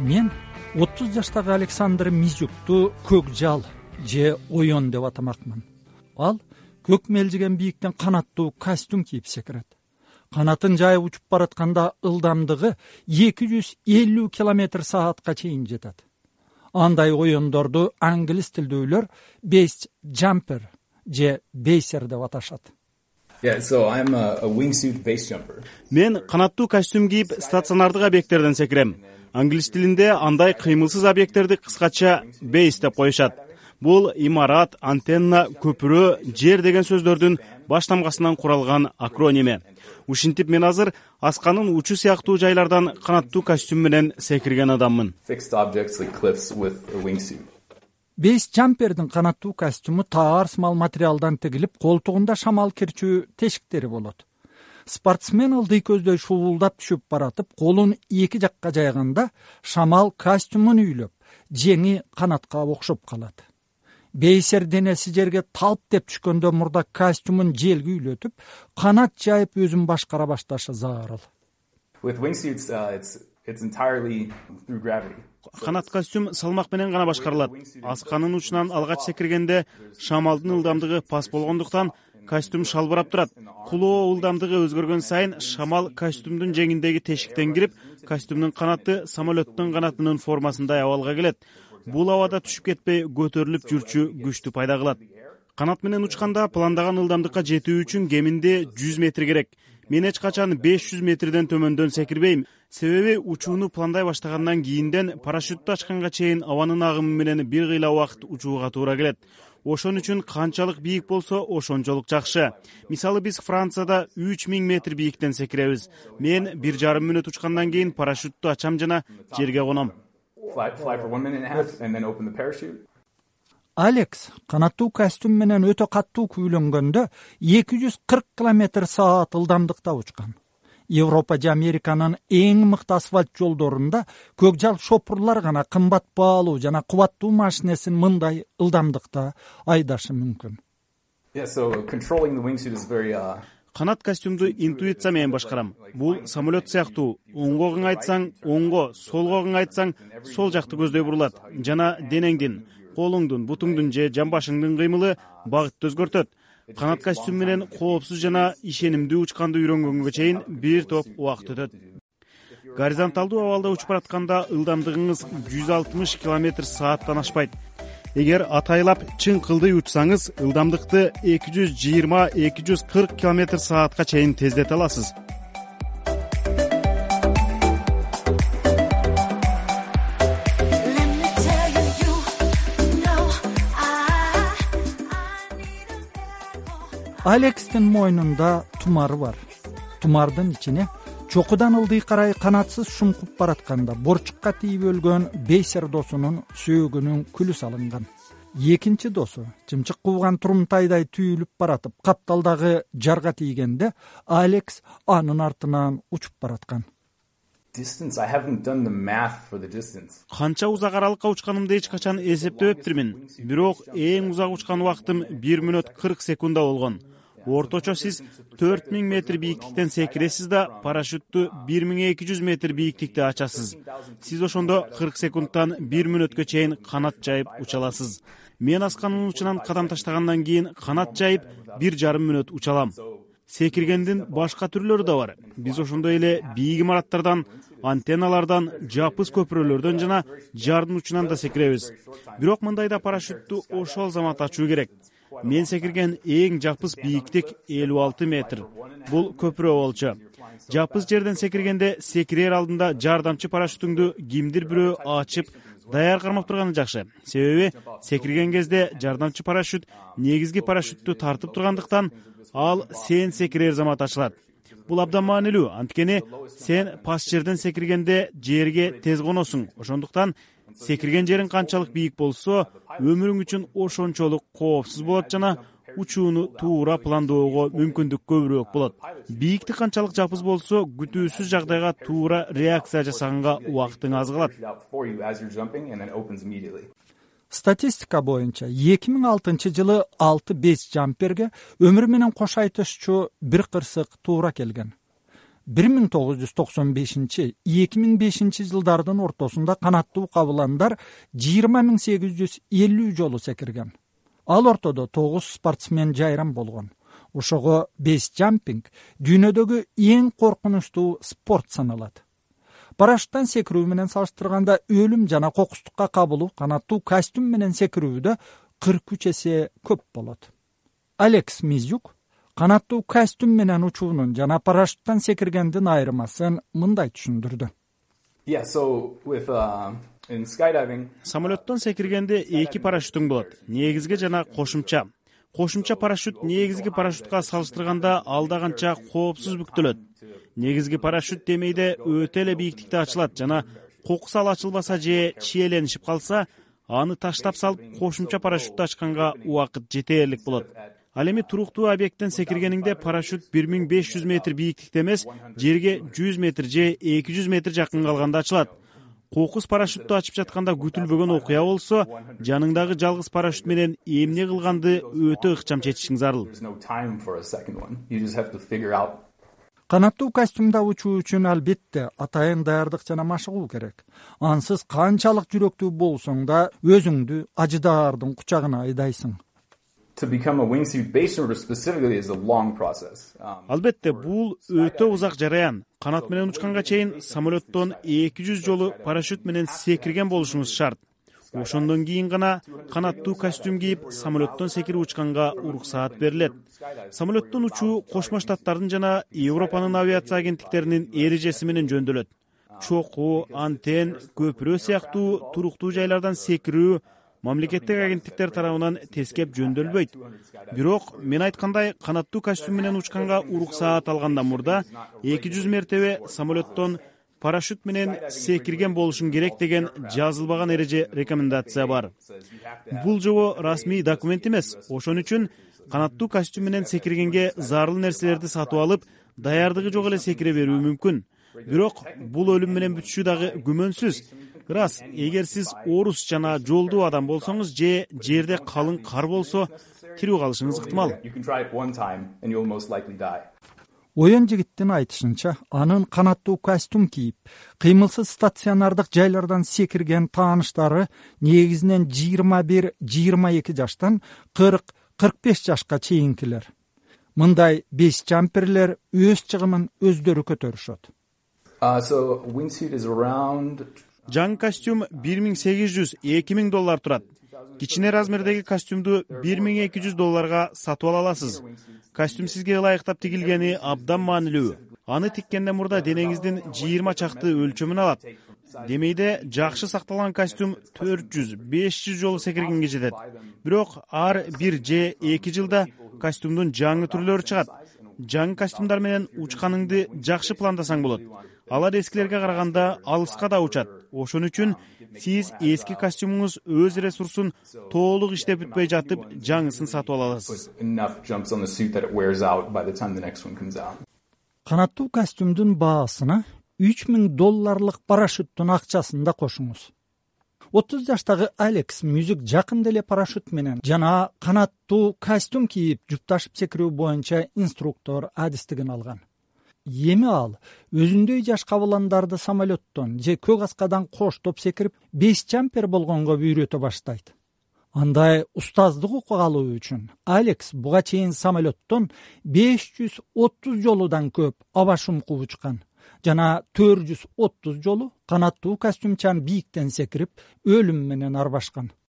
Мен 30 жаштагы Александр Мизюкту көкжал же оён деп атамакмын. Ал көк мелжиген бийиктен канаттуу костюм кийип секирет. Канатын жайып учуп баратканда ылдамдыгы 250 км/саатка чейин жетет. Андай оёндорду англис тилдүүлөр base jumper же бейсер деп аташат. Мен канаттуу костюм кийип стационардык объекттерден секирем. Англис тилинде андай кыймылсыз объекттерди кыскача бейс деп коюшат. Бул имарат, антенна, көпүрө, жер деген сөздөрдүн баштамгасынан куралган акроними. Ушинтип мен азыр асканын учу сыяктуу жайлардан канаттуу костюм менен секирген адаммын. Бейс жампердин канаттуу костюму таар сымал материалдан тигилип, колтугунда шамал кирчүү тешиктери болот. Спортсмен ылдый көздөй шуулдап түшүп баратып, колун эки жакка жайганда шамал костюмун үйлөп, жеңи канатка окшоп калат. Бейсер денеси жерге талп деп түшкөндө мурда костюмун желге үйлөтүп, канат жайып өзүн башкара башташы зарыл. Канат костюм салмак менен гана башкарылат. Асканын учунан алгач секиргенде шамалдын ылдамдыгы пас болгондуктан костюм шалбырап турат. Кулоо ылдамдыгы өзгөргөн сайын шамал костюмдун жеңиндеги тешиктен кирип, костюмдун канаты самолеттун канатынын формасындай абалга келет. Бул абада түшүп кетпей көтөрүлүп жүрчү күчтү пайда кылат. Канат менен учканда пландаган ылдамдыкка жетүү үчүн кеминде 100 метр керек. Мен эч качан 500 метрден төмөндөн секирбейм. Себеби учууну пландай баштагандан кийинден парашютту ачканга чейин абанын агымы менен бир кыйла убакыт учууга туура келет. Ошон үчүн канчалык бийик болсо ошончолук жакшы. Мисалы биз Францияда 3000 метр бийиктен секиребиз. Мен 1,5 мүнөт учкандан кийин парашютту ачам жана жерге коном. Алекс канаттуу костюм менен өтө каттуу күйлөнгөндө 240 км/саат ылдамдыкта учкан. Европа же Американын эң мыкты асфальт жолдорунда көкжал шопурлар гана кымбат баалуу жана кубаттуу машинесин мындай ылдамдыкта айдашы мүмкүн. Канат костюмду интуиция менен башкарам. Бул самолет сыяктуу. Оңго кыңайтсаң оңго, солго кыңайтсаң сол жакты көздөй бурулат. Жана денеңдин, колуңдун, бутуңдун же жамбашыңдын кыймылы багытты өзгөртөт. Канат костюм менен коопсуз жана ишенимдүү учканды үйрөнгөнгө чейин бир топ убакыт өтөт. Горизонталдуу абалда учуп баратканда ылдамдыгыңыз 160 км/сааттан ашпайт. Эгер атайлап чың кылдый учсаңыз, ылдамдыкты 220-240 км/саатка чейин тездете аласыз. Алекстин мойнунда тумары бар. Тумардын ичине чокудан ылдый карай канатсыз шумкуп баратканда борчукка тийип өлгөн бейсер досунун сөөгүнүн күлү салынган. Экинчи досу чымчык кубган турумтайдай түйүлүп баратып, капталдагы жарга тийгенде Алекс анын артынан учуп бараткан. Канча узак аралыкка учканымды эч качан эсептебептирмин. Бирок эң узак учкан убактым 1 мүнөт 40 секунда болгон. Орточо сиз 4000 метр бийиктиктен секиресиз да парашютту 1200 метр бийиктикте ачасыз. Сиз ошондо 40 секундтан 1 мүнөткө чейин канат жайып уча аласыз. Мен асканын учунан кадам таштагандан кийин канат жайып 1,5 мүнөт уча алам. Секиргендин башка түрлөрү да бар. Биз ошондой эле бийик имараттардан, антенналардан, жапыз көпүрөлөрдөн жана жардын учунан да секиребиз. Бирок мындайда парашютту ошол замат ачуу керек. Мен секирген эң жапыз бийиктик 56 метр. Бул көпүрө болчу. Жапыз жерден секиргенде секирер алдында жардамчы парашютуңду кимдир бирөө ачып, даяр кармап турганы жакшы. Себеби секирген кезде жардамчы парашют негизги парашютту тартып тургандыктан ал сен секирер замат ачылат. Бул абдан маанилүү, анткени сен пас жерден секиргенде жерге тез коносуң. Ошондуктан секирген жериң канчалык бийик болсо, өмүрүң үчүн ошончолук коопсуз болот жана учууну туура пландоого мүмкүндүк көбүрөөк болот. Бийиктик канчалык жапыз болсо, күтүүсүз жагдайга туура реакция жасаганга убактың аз калат. Статистика боюнча 2006 жылы 6 бейс жамперге өмүр менен кош айтышчу бир кырсык туура келген. 1995-2005 жылдардын ортосунда канаттуу кабыландар 20.850 жолу секирген. Ал ортодо 9 спортсмен жайрам болгон. Ошого бейсджампинг дүйнөдөгү эң коркунучтуу спорт саналат. Парашюттан секирүү менен салыштырганда өлүм жана кокустукка кабылуу канаттуу костюм менен секирүүдө 43 эсе көп болот. Алекс Мизюк канаттуу костюм менен учуунун жана парашюттан секиргендин айырмасын мындай түшүндүрдү. Самолеттон секиргенде 2 парашютуң болот. Негизги жана кошумча. Кошумча парашют негизги парашютка салыштырганда алда канча коопсуз бүктөлөт. Негизги парашют демейде өтө эле бийиктикте ачылат жана кокусал ачылбаса же чиеленишип калса, аны таштап салып кошумча парашютты ачканга убакыт жетерлик болот. Ал эми туруктуу объекттен секиргениңде парашют 1500 метр бийиктикте эмес, жерге 100 метр же 200 метр жакын калганда ачылат. Кокус парашютту ачып жатканда күтүлбөгөн окуя болсо, жаныңдагы жалгыз парашют менен эмне кылганды өтө ыкчам чечишиң зарыл. Канаттуу костюмда учуу үчүн албетте атайын даярдык жана машыгуу керек. Ансыз канчалык жүрөктүү болсоң да өзүңдү ажыдаардын кучагына айдайсың. Албетте, бул өтө узак жараян. Канат менен учканга чейин самолеттон 200 жолу парашют менен секирген болушуңуз шарт. Ошондон кийин гана канаттуу костюм кийип самолеттон секирип учканга уруксаат берилет. Самолеттон учуу Кошмо Штаттардын жана Европанын авиация агенттиктеринин эрежеси менен жөндөлөт. Чокуу, антен, көпүрө сыяктуу туруктуу жайлардан секирүү мамлекеттик агенттиктер тарабынан тескеп жөндөлбөйт. Бирок мен айткандай, канаттуу костюм менен учканга уруксаат алгандан мурда 200 мертебе самолеттон парашют менен секирген болушуң керек деген жазылбаган эреже рекомендация бар. Бул жобо расмий документ эмес. Ошон үчүн канаттуу костюм менен секиргенге зарыл нерселерди сатып алып, даярдыгы жок эле секире берүү мүмкүн. Бирок бул өлүм менен бүтүшү дагы күмөнсүз. Рас, эгер сиз орус жана жолдуу адам болсоңуз же жерде калың кар болсо, тирүү калышыңыз ыктымал. Оюн жигиттин айтышынча, анын канаттуу костюм кийип, кыймылсыз стационардык жайлардан секирген тааныштары негизинен 21-22 жаштан 40-45 жашка чейинкилер. Мындай бейсджамперлер өз чыгымын өздөрү көтөрүшөт. Жаңы костюм $1800-2000 турат. Кичине размердеги костюмду $1200 сатып ала аласыз. Костюм сизге ылайыктап тигилгени абдан маанилүү. Аны тиккенден мурда денеңиздин 20 чакты өлчөмүн алат. Демейде жакшы сакталган костюм 400-500 жолу секиргенге жетет. Бирок ар 1 же 2 жылда костюмдун жаңы түрлөрү чыгат. Жаңы костюмдар менен учканыңды жакшы пландасаң болот. Алар эскилерге караганда алыска да учат. Ошон үчүн сиз эски костюмуңуз өз ресурсун толук иштеп бүтпөй жатып, жаңысын сатып ала аласыз. Канаттуу костюмдун баасына $3000 парашюттун акчасын да кошуңуз. 30 жаштагы Алекс Мизюк жакында эле парашют менен жана канаттуу костюм кийип жупташып секирүү боюнча инструктор адистигин алган. Эми ал өзүндөй жаш кабыландарды самолеттон же көк аскадан коштоп секирип, бейсджампер болгонго үйрөтө баштайт. Андай устаздык окуп алуу үчүн Алекс буга чейин самолеттон 530 жолудан көп аба шумкуп учкан жана 430 жолу канаттуу костюмчан бийиктен секирип, өлүм менен арбашкан.